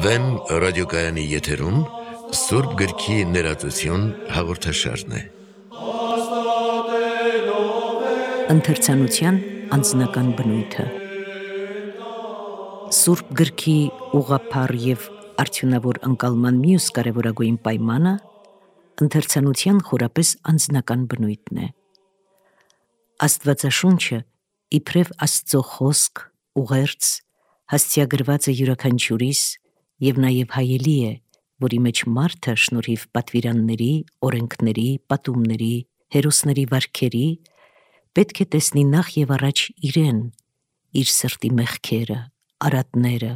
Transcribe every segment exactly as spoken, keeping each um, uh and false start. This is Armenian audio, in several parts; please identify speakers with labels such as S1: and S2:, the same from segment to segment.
S1: Վեմ ռադիոկայանի եթերում Սուրբ գրքի ներածություն հաղորդաշարն է։
S2: Ընթերցանության անձնական բնույթը Սուրբ գրքի ուղղափառ և արդյունավոր ընկալման մյուս կարևորագույն պայմանը ընթերցանության խորապես անձնական բնույթն է։ Աստվածաշունչը իբրև Աստծո խոսք, ուղերձ, հասցեագրված է յուրաքանչյուրիս և նաև հայելի է, որի մեջ մարդը շնորհիվ պատվիրանների, օրենքների, պատումների, հերոսների վարքերի պետք է տեսնի նախ և առաջ իրեն, իր սրտի մեղքերը, արատները,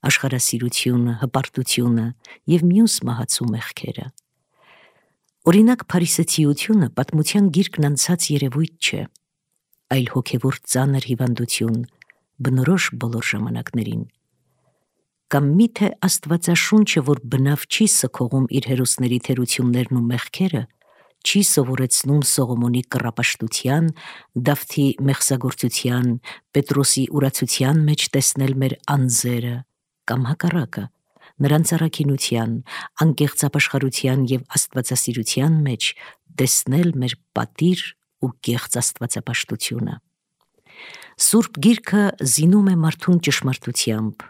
S2: աշխարհասիրությունը, հպարտությունը և մյուս մահացու մեղքերը։ Օրինակ, փարիսեցիությունը պատմության գիրկն անցած երևույթ չէ, այլ հոգևոր ծանր հիվանդություն, բնորոշ բոլոր ժամանակներին։ Կամ միթե Աստվածաշունչը, որ բնավ չի սգողում իր հերոսների թերություններն ու մեղքերը, չի սովորեցնում Սողոմոնի կռապաշտության, Դավթի մեղսագործության, Պետրոսի ուրացության մեջ տեսնել մեր անձերը, կամ հակառակը, նրանց առաքինության, անկեղծ ապաշխարության և աստվածասիրության մեջ տեսնել մեր պատիր ու կեղծ աստվածապաշտությունը։ Սուրբ գիրքը զինում է մարդուն ճշմարտությամբ,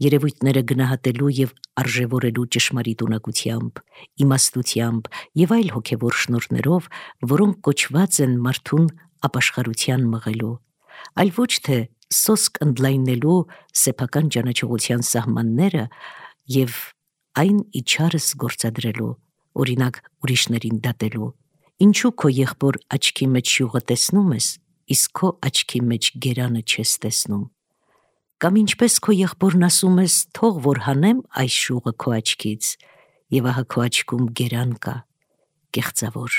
S2: երևույթները գնահատելու և արժևորելու ճշմարիտ ունակությամբ, իմաստությամբ և այլ հոգևոր շնորհներով, որոնք կոչված են մարդուն ապաշխարության մղելու, այլ ոչ թե սոսկ ընդլայնելու սեփական ճանաչողության սահմանները և այն իչարս գործադրելու, օրինակ ուրիշներին դատելու, ինչու քո եղբոր աչքի մեջ շյուղը տեսնում ես, իսկ քո աչքի մեջ գերանը չես տեսնում, կամ ինչպես քո եղբորն ասում ես, թող որ հանեմ այս շյուղը քո աչքից, և ահա քո աչքում գերան կա, կեղծավոր,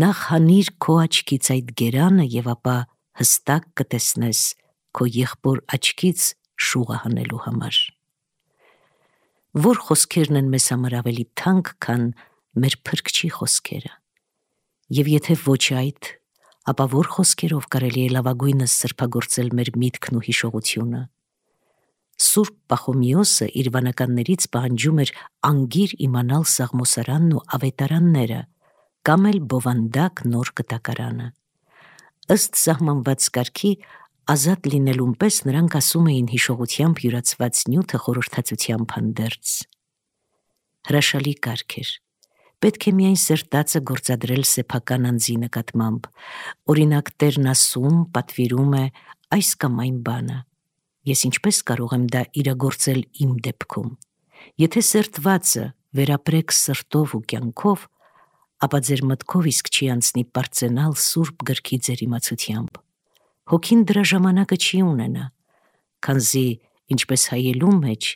S2: նախ հանիր քո աչքից այդ գերանը և ապա հստակ կտեսնես քո եղբոր աչքից շուղը հանելու համար։ Որ խոսքերն են մեզ համար ավելի թանկ, քան մեր Փրկչի խոսքերը, և եթե ոչ այդ, ապա որ խոսքերով կարելի է լավագույնս սրբագործել մեր միտքն ու հիշողությունը։ Սուրբ Պախոմիոսը իր վանականներից պահանջում էր անգիր իմանալ Սաղմոսարանն ու ավետարանները, կամ էլ բովանդակ նոր կտակարանը։ Ըստ սահմանված կարգի, ազատ լինելուն պես նրանք ասում էին հիշողությամբ յուրացված նյութը խորհրդածությամբ հանդերձ։ Հրաշալի կարգ էր։ Պետք է միայն սրտածը գործադրել սեփական անձի նկատմամբ, օրինակ Տերն ասում, պատվիրում է այս կամ այն բանը։ Ես ինչպես կարող եմ դա իրագործել իմ դեպքում։ Եթե սրտվածը վերապրեք սրտով ու կյանքով, ապա ձեր մտքով իսկ չի անցնի պարծենալ Սուրբ գրքի ձեր իմացությամբ։ Հոգին դրա ժամանակը չի ունենա, քանզի ինչպես հայելու մեջ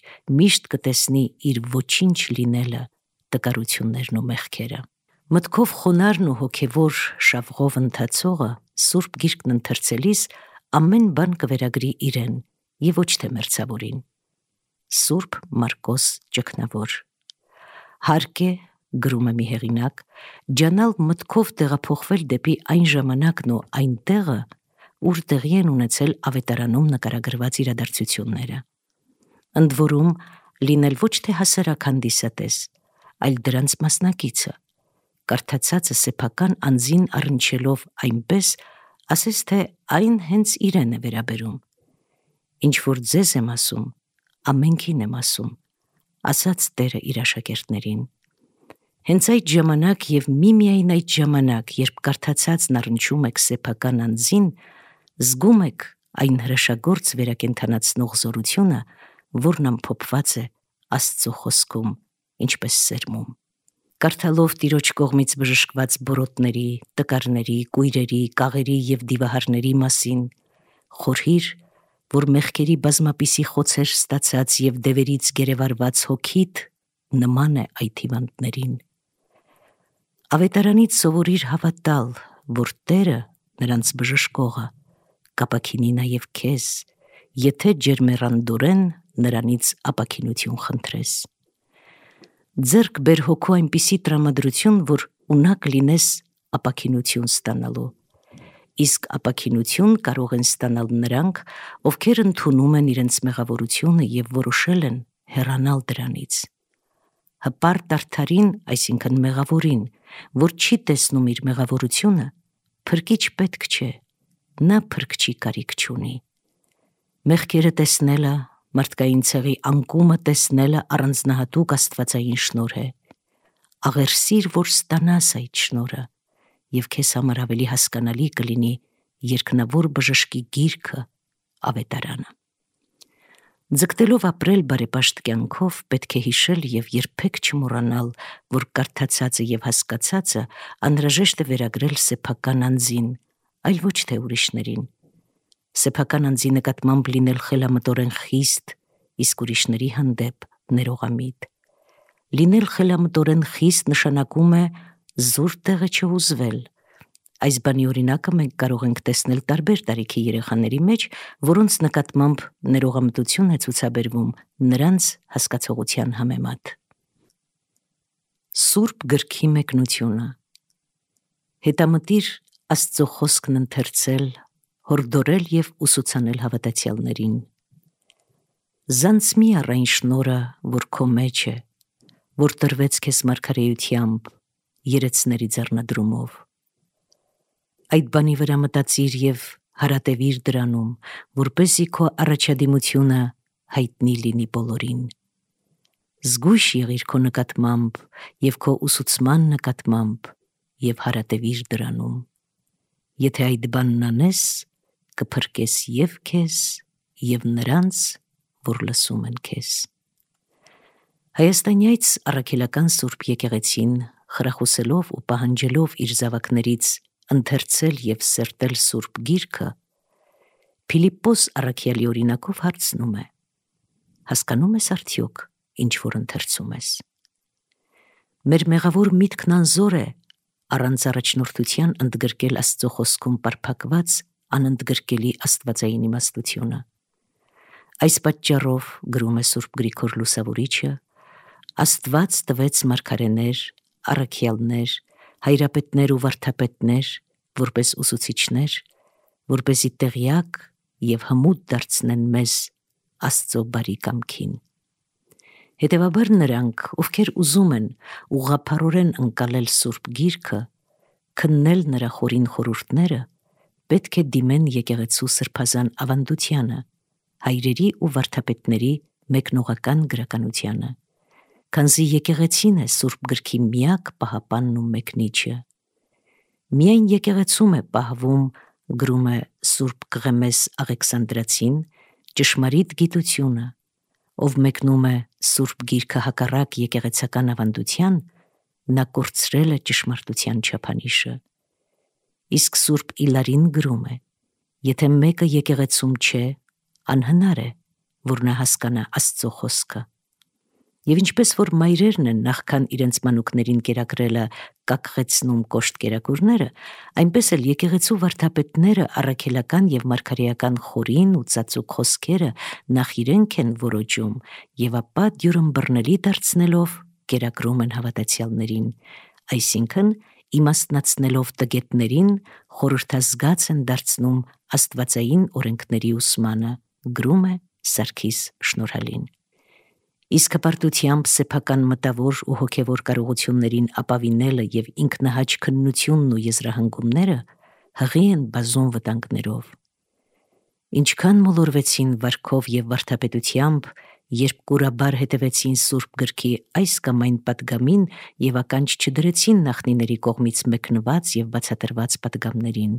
S2: միշտ կտեսնի իր ոչինչ լինելը, տկարություններն ու մեղքերը։ Մտքով խոնարհն ու հոգևոր շավղով ընթացողը Սուրբ գիրքն ընթերցելիս ամեն բան կվերագրի իրեն և ոչ թե մերձավորին։ Սուրբ Մարկոս ճգնավոր։ Հարկ է, գրում է մի հեղինակ, ջանալ մտքով տեղափոխվել դեպի այն ժամանակն ու այն տեղը, ուր տեղի են ունեցել ավետարանում նկարագրված իրադարձությունները։ Ընդ որում, լինել ոչ թե հասարակ հանդիսատես, այլ դրանց մասնակիցը, կարդացածը սեփական անձին առնչելով այնպես, ասես թե այն հենց իրեն է վերաբերում։ Ինչ որ ձեզ եմ ասում, ամենքին եմ ասում, ասաց Տերը իր աշակերտներին։ Հենց այդ ժամանակ և միմիայն այդ ժամանակ, երբ կարդացածն առնչում եք սեփական անձին, զգում եք այն հրաշագործ վերակենդանացնող զորությունը, որն ամփոփված է Աստծո խոսքում, ինչպես սերմում։ Կարդալով Տիրոջ կողմից բժշկված բորոտների, տկարների, կույրերի, կաղերի և դիվահարների մասին, խորհիր, որ մեղքերի բազմապիսի խոցեր ստացած և դևերից գերեվարված հոգիդ նման է այդ հիվանդներին։ Ավետարանից սովորիր հավատալ, որ Տերը, նրանց բժշկողը, կապաքինի նաև քեզ, եթե ջերմեռանդորեն նրանից ապաքինություն խնդրես։ Ձեռք բեր հոգու այնպիսի տրամադրություն, որ ունակ լինես ապաքինություն ստանալու, իսկ ապաքինություն կարող են ստանալ նրանք, ովքեր ընդունում են իրենց մեղավորությունը և որոշել են հեռանալ դրանից։ Հպարտ արդարին, այսինքն մեղավորին, որ չի տեսնում իր մեղավորությունը, փրկիչ պետք չէ, նա փրկչի կարիք չունի։ Մեղքերը տեսնելը, մարդկային ցեղի անկումը տեսնելը առանձնահատուկ աստվածային շնորհ է։ Աղերսիր, որ ստանաս այդ շնորհը, և քեզ համար ավելի հասկանալի կլինի երկնավոր բժշկի գիրքը, ավետարանը։ Ձգտելով ապրել բարեպաշտ կյանքով, պետք է հիշել և երբեք չմոռանալ, որ կարդացածը և հասկացածը անհրաժեշտ է վերագրել սեփական անձին, այլ ոչ թե ուրիշներին։ Սեփական անձի նկատմամբ լինել խելամտորեն խիստ, իսկ ուրիշների հանդեպ ներողամիտ։ Լինել խելամտորեն խիստ նշանակում է զուր տեղը չհուզվել։ Այս բանի օրինակը մենք կարող ենք տեսնել տարբեր տարիքի երեխաների մեջ, որոնց նկատմամբ ներողամտություն է ցուցաբերվում նրանց հասկացողության համեմատ։ Սուրբ գրքի մեկնությունը։ Հետամտիր Աստծո խոսքն ընթերցել, հորդորել և ուսուցանել հավատացյալներին։ Զանց մի առ այն շնորհը, որ քո մեջ է, որ տրվեց քեզ մարգարեությամբ, երեցների ձեռնադրումով։ Այդ բանի վրա մտածիր և հարատևիր դրանում, որպեսզի քո առաջադիմությունը հայտնի լինի բոլորին։ Զգույշ եղիր քո նկատմամբ և քո ուսուցման նկատմամբ և հարատևիր դրանում։ Եթե այդ բանն անես, կփրկես և քեզ, և նրանց, որ լսում են քեզ։ Հայաստանյաց առաքելական Սուրբ եկեղեցին, խրախուսելով ու պահանջելով իր զավակներից ընթերցել և սերտել Սուրբ Գիրքը, Փիլիպպոս առաքյալի օրինակով հարցնում է. հասկանում ես արդյոք, ինչ որ ընթերցում ես։ Մեր մեղավոր միտքն անզոր է առանց առաջնորդության ընդգրկել Աստծո խոսքում պարփակված անընդգրկելի աստվածային իմաստությունը։ Այս պատճառով, գրում է Սուրբ Գրիգոր Լուսավորիչը, Աստված տվեց մարգարեներ, առաքյալներ, հայրապետներ ու վարդապետներ, որպես ուսուցիչներ, որպեսզի տեղյակ և հմուտ դարձնեն մեզ Աստծո բարի կամքին։ Հետևաբար նրանք, ովքեր ուզում են ուղղափառորեն ընկալել Սուրբ Գիրքը, քննել նրա խորին խորհուրդները, պետք է դիմեն եկեղեցու սրբազան ավանդությանը, հայրերի ու վարդապետների մեկնողական գրականությանը, քանզի եկեղեցին է Սուրբ Գրքի միակ պահապանն ու մեկնիչը։ Միայն եկեղեցում է պահվում, գրում է Սուրբ Կղեմես Աղեքսանդրացին, ճշմարիտ գիտությունը, ով մեկնում է Սուրբ Գիրքը հակառակ եկեղեցական ավանդության, նա կորցրել է ճշմարտության չափանիշը։ Իսկ Սուրբ Իլարին գրում է. եթե մեկը եկեղեցում չէ, անհնար է, որ նա հասկանա Աստծո խոսքը։ Եվ ինչպես որ մայրերն են նախքան իրենց մանուկներին կերակրելը կակղեցնում կոշտ կերակուրները, այնպես էլ եկեղեցու վարդապետները առաքելական և մարգարեական խորին ու ծածուկ խոսքերը նախ իրենք են որոջում և ապա դյուրըմբռնելի դարձնելով կերակրում են հավատացյալներին, այսինքն իմաստնացնելով տգետներին խորհրդազգաց են դարձնում աստվածային օրենքների ուսմանը, գրում է Սարգիս Շնորհալին։ Իսկ հպարտությամբ սեփական մտավոր ու հոգևոր կարողություններին ապավինելը և ինքնահաճ քննությունն ու եզրահանգումները հղի են բազում վտանգներով։ Ինչքան մոլորվեցին վարքով և վարդապետությամբ, երբ կուրաբար հետևեցին Սուրբ Գրքի այս կամ այն պատգամին և ականջ չդրեցին նախնիների կողմից մեկնված և բացատրված պատգամներին։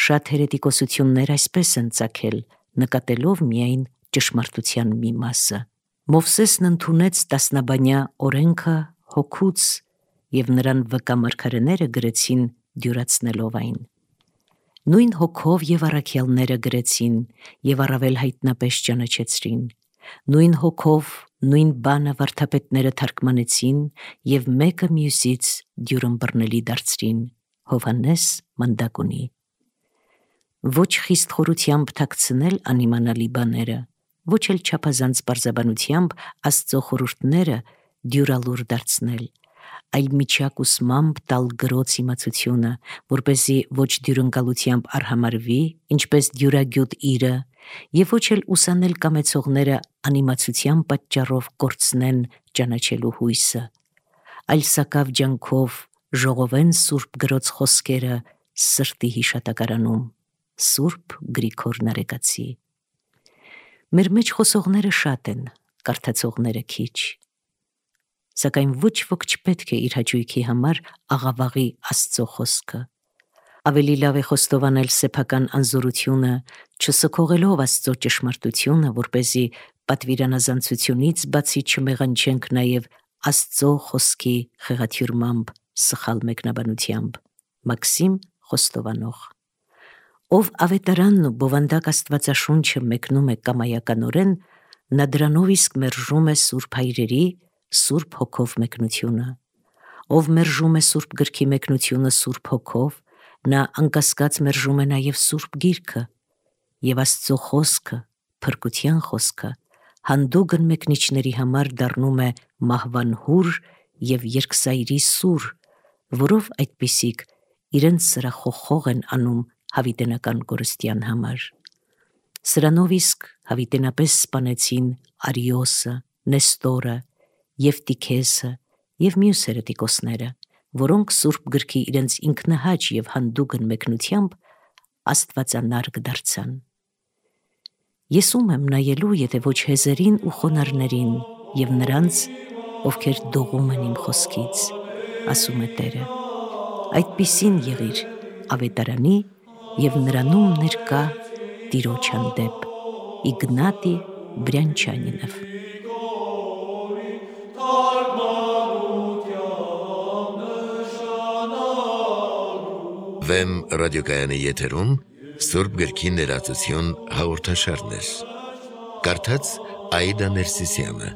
S2: Շատ հերետիկոսություններ այսպես են ծագել, նկատելով միայն ճշմարտության մի մասը։ Մովսեսն ընդունեց տասնաբանյա օրենքը հոգուց, և նրան վկա մարգարեները գրեցին դյուրացնելով այն։ Նույն հոգով և առաքյալները գրեցին և առավել հայտնապես ճանաչեցրին։ Նույն հոգով նույն բանը վարդապետները թարգմանեցին և մեկը մյուսից դյուրըմբռնելի դարձրին։ Հովհաննես Մանդակունի։ Ոչ խիստ խորությամբ թաքցնել անիմանալի բաները, ոչ էլ չափազանց պարզաբանությամբ Աստծո խորհուրդները դյուրալուր դարձնել, այլ միջակուսմամբ տալ գրոց իմացությունը, որպեսզի ոչ դյուրընկալությամբ արհամարվի, ինչպես դյուրագյուտ իրը, եւ ոչ էլ ուսանել կամեցողները անիմացության պատճառով կորցնեն ճանաչելու հույսը, այլ սակավ ջանքով ժողովեն Սուրբ գրոց խոսքերը սրտի հիշատակարանում, Սուրբ Գրիգոր Նարեկացի։ Մեր մեջ խոսողները շատ են, կարդացողները քիչ, սակայն ոչ ոք չպետք է իր հաճույքի համար աղավաղի Աստծո խոսքը։ Ավելի լավ է խոստովանել սեփական անզորությունը, չսքողելով Աստծո ճշմարտությունը, որպեսզի պատվիրանազանցությունից բացի չմեղանչենք նաև Աստծո խոսքի խեղաթյուրմամբ, սխալ մեկնաբանությամբ։ Մաքսիմ Խոստովանող։ Ով ավետարանն ու բովանդակ Աստվածաշունչը մեկնում է կամայականորեն, նա դրանով իսկ մերժում է Սուրբ Հայրերի, Սուրբ Հոգով մեկնությունը։ Ով մերժում է Սուրբ Գրքի մեկնությունը Սուրբ Հոգով, նա անկասկած մերժում է նաև Սուրբ Գիրքը, եւ Աստծո խոսքը, փրկության խոսքը, հանդուգն մեկնիչների համար դառնում է մահվան հուր եւ երկսայրի սուր, որով այդպիսիք իրենց սրախոխող են անում հավիտենական կորստյան համար։ Սրանով իսկ հավիտենապես սպանեցին Արիոսը, Նեստորը, Եվտիքեսը եւ մյուս հերետիկոսները, որոնք Սուրբ Գրքի իրենց ինքնահաճ եւ հանդուգն մեկնությամբ աստվածանարգ դարձան։ Ես ում եմ նայելու, եթե ոչ հեզերին ու խոնարհներին եւ նրանց, ովքեր դողում են իմ խոսքից, ասում է Տերը։ Այդպիսին եղիր ավետարանի եւ նրանում ներկա Տիրոջ հանդեպ։ Իգնատի Բրյանչանինով։
S1: Վեմ ռադիոկայանի եթերում Սուրբ Գրքի ներածություն հաղորդաշարներ։ Կարդաց Աիդա Ներսիսյանը։